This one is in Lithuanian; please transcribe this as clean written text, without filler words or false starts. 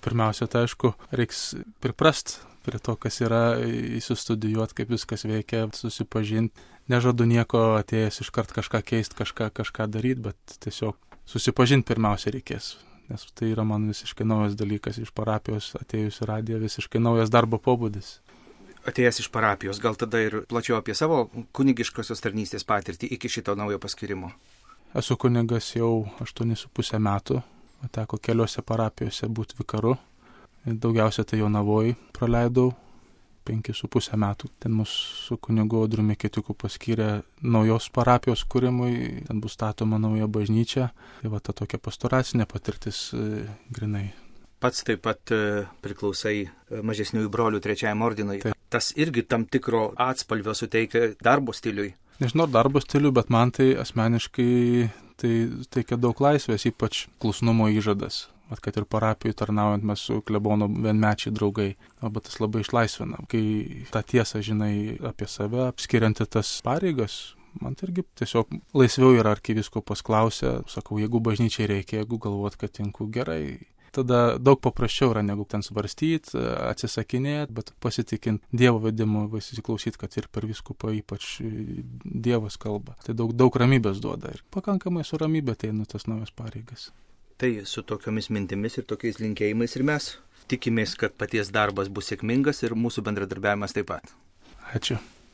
Pirmiausia, tai aišku, reiks priprast prie to, kas yra, įsistudijuoti, kaip viskas veikia, susipažinti. Nežadu nieko atėjęs iškart kažką keisti, kažką daryti, bet tiesiog susipažinti pirmiausia reikės. Nes tai yra man visiškai naujas dalykas iš parapijos, atėjus į radiją, visiškai naujas darbo pobūdis. Atėjęs iš parapijos, gal tada ir plačiau apie savo kunigiškosios tarnystės patirtį iki šito naujo paskirimo? Esu kunigas jau 8,5 metų, teko keliose parapijose būti vikaru. Daugiausia tai Jonavoj praleidau 5,5 metų. Ten mūsų kunigu Audriumi Ketiuku paskyrė naujos parapijos kūrimui, ten bus statoma nauja bažnyčia. Tai va ta tokia pastoracinė patirtis grinai. Pats taip pat priklausai mažesniųjų brolių 3 ordinui. Taip. Tas irgi tam tikro atspalvio suteikia darbo stiliui. Nežinau darbo stilių, bet man tai asmeniškai tai teikia daug laisvės, ypač klusnumo įžadas. Kad ir parapijų tarnaujant mes su klebonu vienmečiai draugai. Bet tas labai išlaisvina. Kai tą tiesą žinai apie save, apskirianti tas pareigas, man tai irgi tiesiog laisviau yra arkivyskupas klausia. Sakau, jeigu bažnyčiai reikia, jeigu galvot, kad tinku gerai. Tada daug paprasčiau yra, negu ten svarstyti, atsisakinėti, bet pasitikint Dievo vedimu, įsiklausyti, kad ir per vyskupą ypač Dievas kalba. Tai daug ramybės duoda ir pakankamai su ramybė ateina tas naujas pareigas. Tai su tokiomis mintimis ir tokiais linkėjimais ir mes tikimės, kad paties darbas bus sėkmingas ir mūsų bendradarbiavimas taip pat. Ačiū.